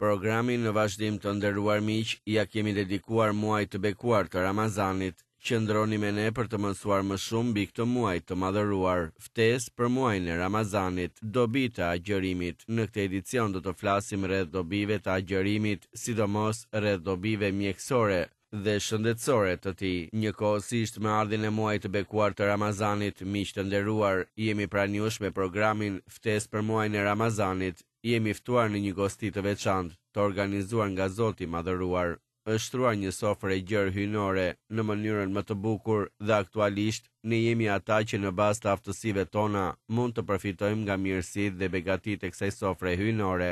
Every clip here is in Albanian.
Programin në vazhdim të nderuar miq ia kemi dedikuar muajit të bekuar të Ramazanit. Qëndroni me ne për të mësuar më shumë mbi këtë muaj të madhëruar. Ftesë për muajin e Ramazanit, dobi të agjërimit. Në këtë edicion do të flasim rreth dobive të agjërimit, sidomos rreth dobive mjekësore dhe shëndetësore të tij. Njëkohësisht me ardhjen e muajit të bekuar të Ramazanit, miq të nderuar, jemi pranë jush me programin Ftesë për muajin e Ramazanit. Jemi ftuar në një gosti të veçantë, të organizuar nga Zoti i Madhëruar. Është shtruar një sofër e gjerë hyjnore në mënyrën më të bukur dhe aktualisht ne jemi ata që në bazë të aftësive tona mund të përfitojmë nga mirësitë dhe begatitë e kësaj sofre hyjnore.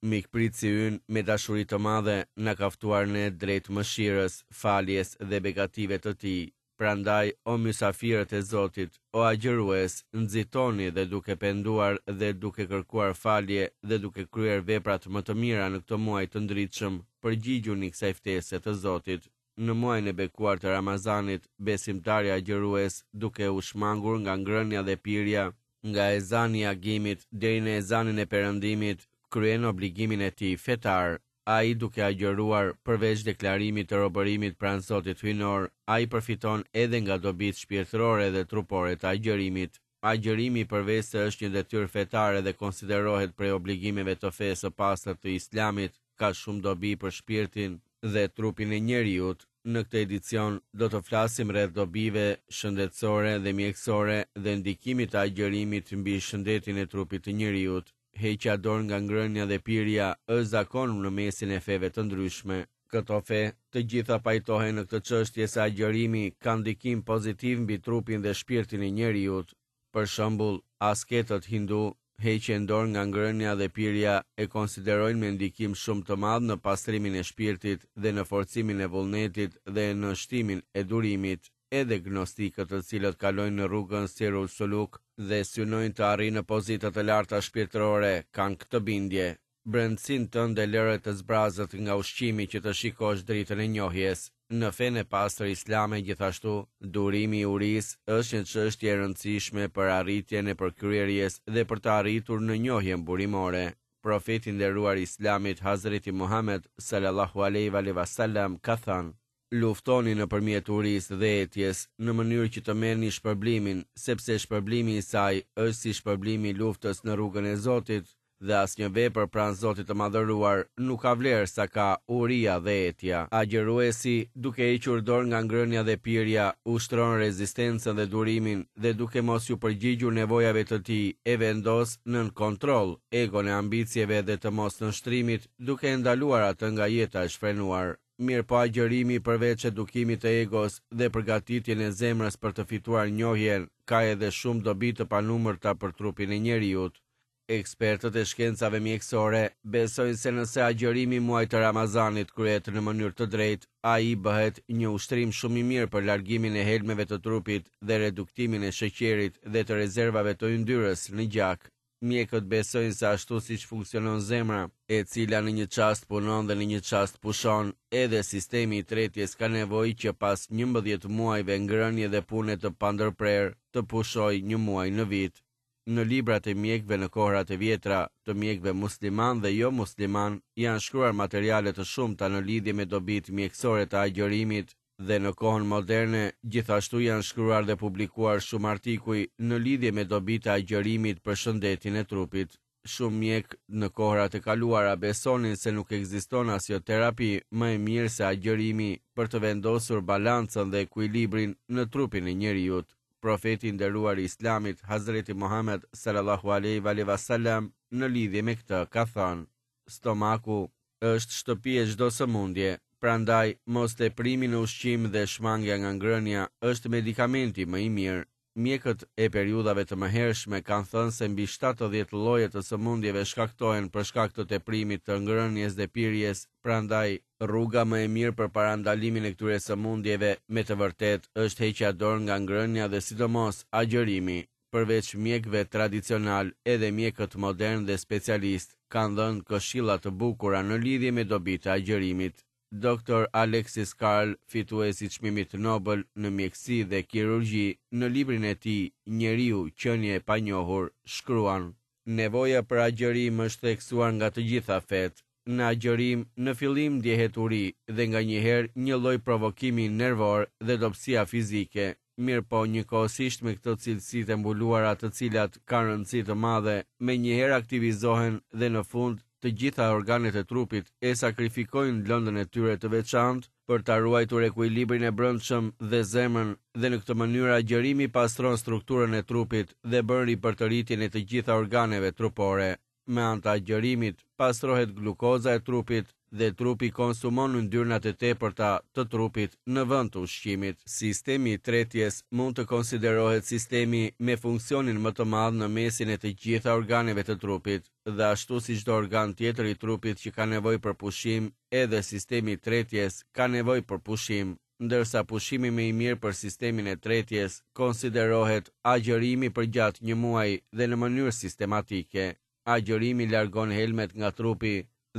Mikpritësi ynë me dashuri të madhe na ka ftuar ne drejt mëshirës, faljes dhe begative të tij. Prandaj, o mysafirët e Zotit, o agjërues, nxitoni dhe duke penduar dhe duke kërkuar falje dhe duke kryer veprat më të mira në këtë muaj të ndritshëm, përgjigjuni kësaj ftese të Zotit. Në muajin e bekuar të Ramazanit, besimtari agjërues, duke u shmangur nga ngrënia dhe pirja, nga ezani i agimit deri në ezanin e perëndimit, kryen obligimin e tij fetar. Ai duke agjëruar, përveç deklarimit të robërimit pranë Zotit Hyjnor, ai përfiton edhe nga dobitë shpirtërore dhe trupore të agjërimit. Agjërimi përveçse është një detyrë fetare dhe konsiderohet prej obligimeve të fesë së pastër të Islamit, ka shumë dobi për shpirtin dhe trupin e njeriut. Në këtë edicion do të flasim rreth dobive shëndetësore dhe mjekësore dhe ndikimit të agjërimit mbi shëndetin e trupit të njeriut. Heqja dorë nga ngrënia dhe pirja është zakon në mesin e feve të ndryshme. Këto fe, të gjitha pajtohen në këtë çështje se agjërimi ka ndikim pozitiv mbi trupin dhe shpirtin e njeriut. Për shembull, asketët hindu heqjen dorë nga ngrënia dhe pirja e konsiderojnë me ndikim shumë të madh në pastrimin e shpirtit dhe në forcimin e vullnetit dhe në shtimin e durimit. Edhe gnostikët të cilët kalojnë në rrugën Sirul Suluk dhe synojnë të arrijnë në pozita të larta shpirtërore kanë këtë bindje, Brendësinë tënde lëre të zbrazët nga ushqimi që të shikosh dritën e njohjes. Në fenë e pastër islame gjithashtu, durimi i urisë është një çështje e rëndësishme për arritjen e përkryerjes dhe për të arritur në njohjen burimore. Profeti i nderuar i Islamit Hazreti Muhamed sallallahu alejhi ve sellem ka thënë: Luftoni nëpërmjet urisë dhe etjes, në mënyrë që të merrni shpërblimin, sepse shpërblimi i saj është si shpërblimi i luftës në rrugën e Zotit, dhe asnjë vepër pranë Zotit të Madhëruar nuk ka vlerë sa ka uria dhe etja. Agjëruesi, duke hequr dorë nga ngrënia dhe pirja, ushtron rezistencën dhe durimin dhe duke mos iu përgjigjur nevojave të tij, e vendos nën kontroll egon e ambicieve dhe të mosnënshtrimit, duke e ndaluar atë nga jeta e shfrenuar. Mirëpo agjërimi përveç edukimit të egos dhe përgatitjen e zemrës për të fituar njohjen, ka edhe shumë dobi të panumërta për trupin e njeriut. Ekspertët e shkencave mjekësore besojnë se nëse agjërimi i muajit të Ramazanit kryhet në mënyrë të drejtë, ai bëhet një ushtrim shumë i mirë për largimin e helmeve të trupit dhe reduktimin e sheqerit dhe të rezervave të yndyrës në gjak. Mjekët besojnë se ashtu siç funksionon zemra, e cila në një çast punon dhe në një çast pushon, edhe sistemi i tretjes ka nevojë që pas 11 muajve ngrënie dhe pune të pandërprerë, të pushojë një muaj në vit. Në librat e mjekëve në kohërat e vjetra, të mjekëve muslimanë dhe jo muslimanë, janë shkruar materiale të shumta në lidhje me dobitë mjekësore të agjërimit, Dhe në kohën moderne, gjithashtu janë shkruar dhe publikuar shumë artikuj në lidhje me dobitë e agjërimit për shëndetin e trupit. Shumë mjekë në kohërat e kaluara besonin se nuk ekziston asnjë terapi më e mirë se agjërimi për të vendosur balancën dhe ekuilibrin në trupin e njeriut. Profeti i nderuar i Islamit, Hazreti Muhamed sallallahu alejhi ve sellem, në lidhje me këtë ka thënë: Stomaku është shtëpi e çdo sëmundje, prandaj mos teprimi në ushqim dhe shmangia nga ngrënia është medikamenti më i mirë. Mjekët e periudhave të mëhershme kanë thënë se mbi 70 lloje të sëmundjeve shkaktohen për shkak të teprimit të ngrënies dhe pirjes, prandaj rruga më e mirë për parandalimin e këtyre sëmundjeve me të vërtetë është heqja dorë nga ngrënia dhe sidomos agjërimi. Përveç mjekëve tradicionalë, edhe mjekët modernë dhe specialistë kanë dhënë këshilla të bukura në lidhje me dobitë e agjërimit. Doktor Alexis Carrel, fitues i çmimit Nobel në mjekësi dhe kirurgji, në librin e tij Njeriu, qenie e panjohur, shkruan: Nevoja për agjërim është theksuar nga të gjitha fetë. në agjërim në fillim ndjehet uri dhe nganjëherë një lloj provokimi nervor dhe dobësia fizike, mirëpo njëkohësisht me këto cilësitë e mbuluara të cilat kanë rëndësi të madhe, menjëherë aktivizohen dhe në fund të gjitha organet e trupit e sakrifikojnë lëndën e tyre të veçantë për ta ruajtur ekuilibrin e brendshëm dhe zemrën dhe në këtë mënyrë agjërimi pastron strukturën e trupit dhe bën ripërtëritjen e të gjitha organeve trupore. Me anë të agjërimit, pastrohet glukoza e trupit dhe trupi konsumon yndyrnat e tepërta të trupit në vend të ushqimit. Sistemi i tretjes mund të konsiderohet sistemi me funksionin më të madh në mesin e të gjitha organeve të trupit dhe ashtu si çdo organ tjetër i trupit që ka nevojë për pushim, edhe sistemi i tretjes ka nevojë për pushim. Ndërsa pushimi më i mirë për sistemin e tretjes konsiderohet agjërimi përgjatë një muaji dhe në mënyrë sistematike. Agjërimi largon helmet nga trupi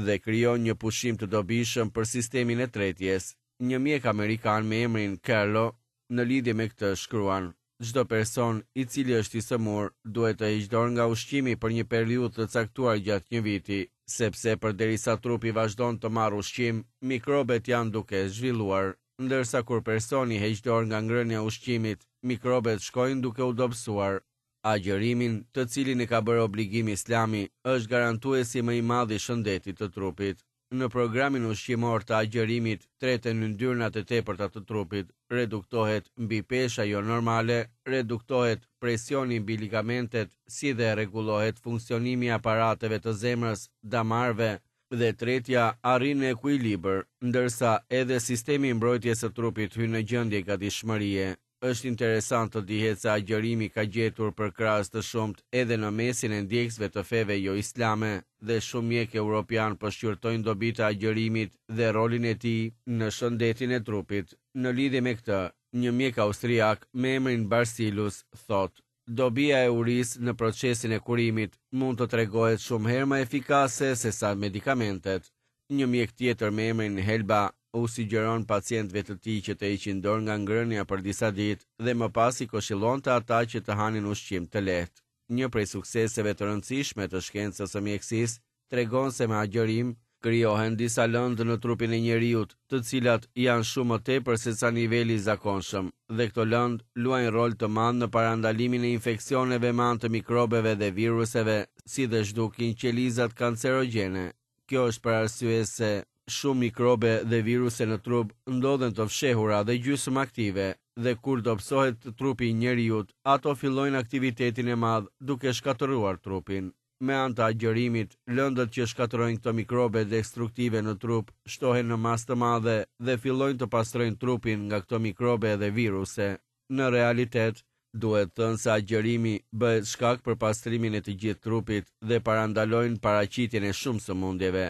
dhe krijon një pushim të dobishëm për sistemin e tretjes. Një mjek amerikan me emrin Carlo në lidhje me këtë shkruan, Çdo person, i cili është i sëmurë, duhet të heqë dorë nga ushqimi për një periudhë të caktuar gjatë një viti, sepse përderisa trupi vazhdon të marrë ushqim, mikrobet janë duke zhvilluar. Ndërsa kur personi heq dorë nga ngrënia e ushqimit, mikrobet shkojnë duke u dobësuar. Agjërimin, të cilin e ka bërë obligim Islami, është garantuesi më i madh i shëndetit të trupit. Në programin ushqimor të agjërimit treten yndyrnat e tepërta të trupit, reduktohet mbipesha jonormale, reduktohet presioni mbi ligamentet si dhe rregullohet funksionimi i aparateve të zemrës, damarëve dhe tretja arrin në ekuilibër, ndërsa edhe sistemi i mbrojtjes së trupit hyn në gjendje gatishmërie. Është interesant të dihet se agjërimi ka gjetur përkrahës të shumtë edhe në mesin e ndjekësve të feve joislame dhe shumë mjekë europianë po shqyrtojnë dobitë e agjërimit dhe rolin e tij në shëndetin e trupit. Në lidhje me këtë, një mjek austriak me emrin Barsilus thotë, Dobia e urisë në procesin e kurimit mund të tregohet shumë herë më efikase sesa medikamentet. Një mjek tjetër me emrin Helba u sugjeron pacientëve të tij që të heqin dorë nga ngrënia për disa ditë dhe më pas i këshillonte ata që të hanin ushqim të lehtë. Një prej sukseseve të rëndësishme të shkencës së mjekësisë tregon se me agjërim krijohen disa lëndë në trupin e njeriut, të cilat janë shumë më tepër sesa niveli i zakonshëm, dhe këto lëndë luajnë rol të madh në parandalimin e infeksioneve me anë të mikrobeve dhe viruseve, si dhe zhdukin qelizat kancerogjene. Kjo është për arsye se shumë mikrobe dhe viruse në trup ndodhen të fshehura dhe gjysmë aktive, dhe kur dobësohet trupi i njeriut, ato fillojnë aktivitetin e madh duke shkatërruar trupin. Me anë të agjërimit, lëndët që shkatërrojnë këto mikrobe destruktive në trup shtohen në masë të madhe dhe fillojnë të pastrojnë trupin nga këto mikrobe dhe viruse. Në realitet, duhet thënë se agjërimi bëhet shkak për pastrimin e të gjithë trupit dhe parandalojnë paraqitjen e shumë sëmundjeve.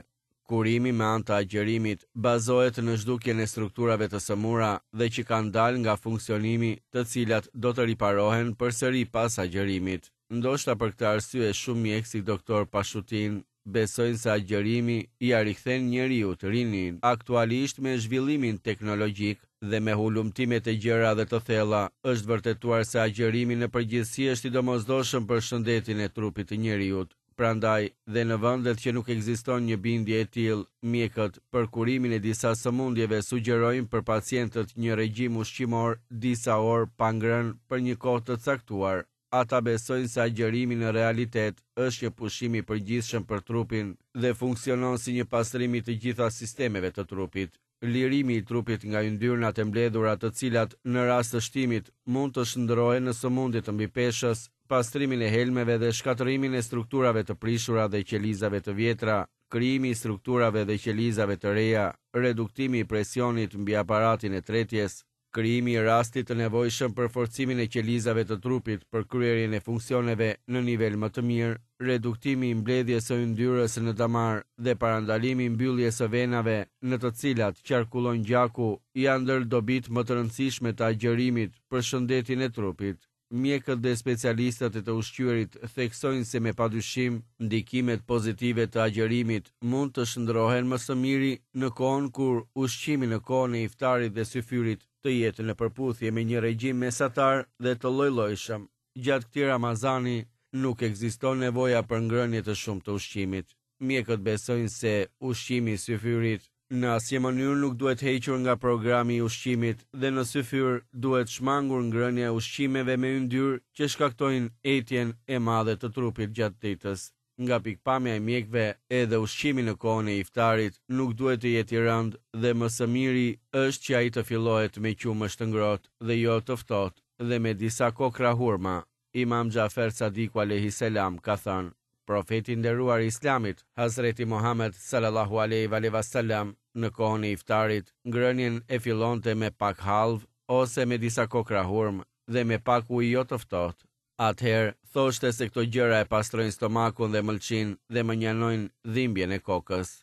Kurimi me anë të agjërimit bazohet në zhdukjen e strukturave të sëmura dhe që kanë dalë nga funksionimi, të cilat do të riparohen përsëri pas agjërimit. Ndoshta për këtë arsye shumë mjekë si Doktor Pashutin besojnë se agjërimi ia rikthen njeriut rininë. Aktualisht me zhvillimin teknologjik dhe me hulumtimet e gjera dhe të thella është vërtetuar se agjërimi në përgjithësi është i domosdoshëm për shëndetin e trupit të njeriut. Prandaj, dhe në vendet që nuk ekziston një bindje e tillë, mjekët, për kurimin e disa sëmundjeve sugjerojnë për pacientët një regjim ushqimor disa orë pa ngrënë për një kohë të caktuar. Ata besojnë se agjërimi në realitet është një pushim i përgjithshëm për trupin dhe funksionon si një pastrim i të gjitha sistemeve të trupit. Lirimi i trupit nga yndyrnat e mbledhura të cilat, në rast të shtimit, mund të shndërrohen në sëmundje të mbipeshës, pastrimin e helmeve dhe shkatërrimin e strukturave të prishura dhe qelizave të vjetra, krijimi i strukturave dhe qelizave të reja, reduktimi i presionit mbi aparatin e tretjes, Krijimi i rastit të nevojshëm për forcimin e qelizave të trupit për kryerjen e funksioneve në nivel më të mirë, reduktimi i mbledhjes së yndyrës në damar dhe parandalimi i mbylljes së venave në të cilat qarkullon gjaku janë ndër dobitë më të rëndësishme të agjërimit për shëndetin e trupit. Mjekët dhe specialistët e të ushqyerit theksojnë se me padyshim, ndikimet pozitive të agjërimit mund të shndërrohen më së miri në kohën kur ushqimi në kohën e iftarit dhe syfyrit të jetë në përputhje me një regjim mesatar dhe të llojllojshëm. Gjatë këtij Ramazani nuk ekziston nevoja për ngrënie të shumtë të ushqimit. Mjekët besojnë se ushqimi i syfyrit në asnjë mënyrë nuk duhet hequr nga programi i ushqimit dhe në syfyr duhet shmangur ngrënia e ushqimeve me yndyrë që shkaktojnë etjen e madhe të trupit gjatë ditës. Nga pikëpamja e mjekëve, edhe ushqimi në kohën e iftarit nuk duhet të jetë i rëndë dhe më së miri është që ai të fillohet me qumësht të ngrohtë dhe jo të ftohtë dhe me disa kokrra hurma. Imam Xhafer Sadiku alejhi selam ka thënë, Profeti i nderuar i Islamit, Hazreti Muhamed sallallahu alejhi ve alejhi ve selam, në kohën e iftarit, ngrënien e fillonte me pak hallvë ose me disa kokrra hurmë dhe me pak ujë jo të ftohtë. Atëherë, thoshte se këto gjëra e pastrojnë stomakun dhe mëlçinë dhe mënjanojnë dhimbjen e kokës.